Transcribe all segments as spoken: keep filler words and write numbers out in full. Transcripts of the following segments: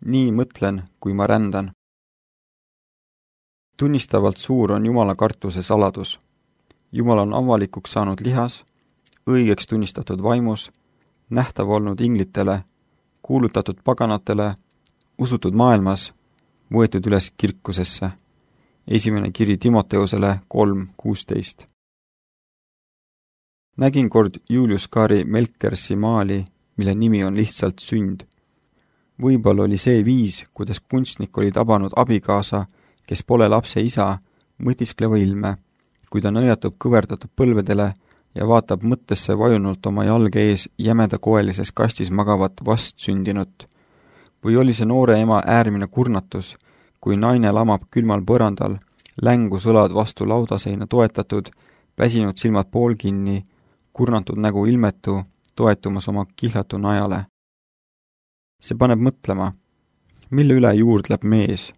nii mõtlen, kui ma rändan. Tunnistavalt suur on Jumala kartuse saladus. Jumal on avalikuks saanud lihas, õigeks tunnistatud vaimus, nähtav olnud inglitele, kuulutatud paganatele, usutud maailmas, võetud üles kirkusesse. Esimene kiri Timoteusele kolm kuusteist. Nägin kord Julius Caesari Melkersi maali, mille nimi on lihtsalt sünd. Võib-olla oli see viis, kuidas kunstnik oli tabanud abikaasa, kes pole lapse isa, mõtiskleva ilme, kui ta nõjatub kõverdatud põlvedele ja vaatab mõttesse vajunult oma jalge ees jämedakoelises kastis magavat vastsündinut. Või oli see noore ema äärmine kurnatus, kui naine lamab külmal põrandal, längus õlad vastu laudaseina toetatud, väsinud silmad poolkinni, kurnatud nägu ilmetu, toetumas oma kihlatu najale. See paneb mõtlema, mille üle juurdleb mees,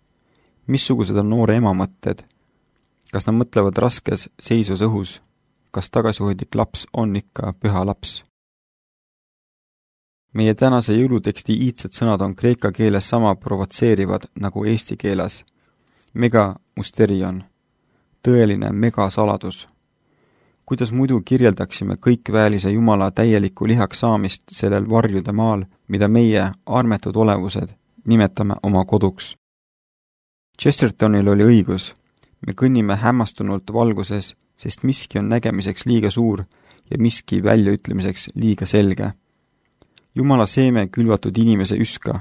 missugused on noore ema mõtted, kas nad mõtlevad raskes seisvas õhus, kas tagasihoidlik laps on ikka püha laps. Meie tänase jõuluteksti iidsed sõnad on kreeka keeles sama provotseerivad nagu eesti keeles. Mega musterion, tõeline megasaladus. Kuidas muidu kirjeldaksime kõikväelise Jumala täieliku lihaks saamist sellel varjude maal, mida meie, armetud olevused, nimetame oma koduks. Chestertonil oli õigus. Me kõnnime hämmastunult valguses, sest miski on nägemiseks liiga suur ja miski väljaütlemiseks liiga selge. Jumala seeme külvatud inimese üska.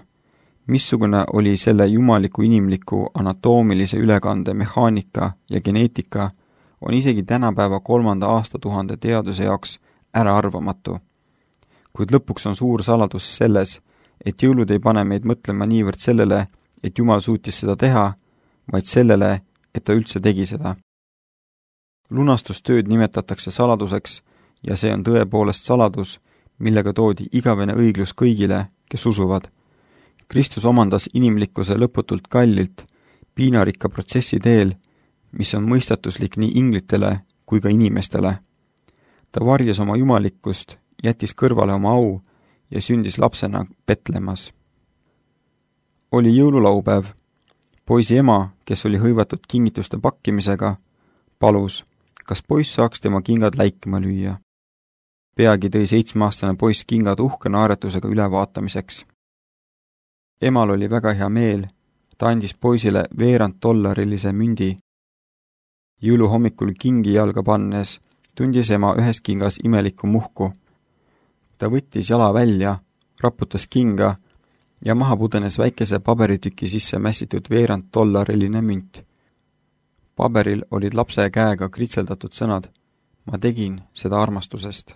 Missugune oli selle jumaliku inimliku anatoomilise ülekande mehaanika ja geneetika, on isegi tänapäeva kolmanda aastatuhande teaduse jaoks äraarvamatu. Kuid lõpuks on suur saladus selles, et jõulud ei pane meid mõtlema niivõrd sellele, et Jumal suutis seda teha, vaid sellele, et ta üldse tegi seda. Lunastustööd nimetatakse saladuseks ja see on tõepoolest saladus, millega toodi igavene õiglus kõigile, kes usuvad. Kristus omandas inimlikkuse lõputult kallilt, piinarikka protsessi teel, mis on mõistatuslik nii inglitele kui ka inimestele. Ta varjas oma jumalikkust, jättis kõrvale oma au ja sündis lapsena Betlemas. Oli jõululaupäev. Poisi ema, kes oli hõivatud kingituste pakkimisega, palus, kas poiss saaks tema kingad läikima lüüa. Peagi tõi seitsmeaastane poiss kingad uhke naeretusega ülevaatamiseks. Emal oli väga hea meel, ta andis poisile veerand dollarilise mündi. Jõulu hommikul kingi jalga pannes tundis ema ühes kingas imelikku muhku. Ta võttis jala välja, raputas kinga ja maha pudenes väikese paberitüki sisse mässitud veerand dollariline münt. Paberil olid lapse käega kritseldatud sõnad, ma tegin seda armastusest.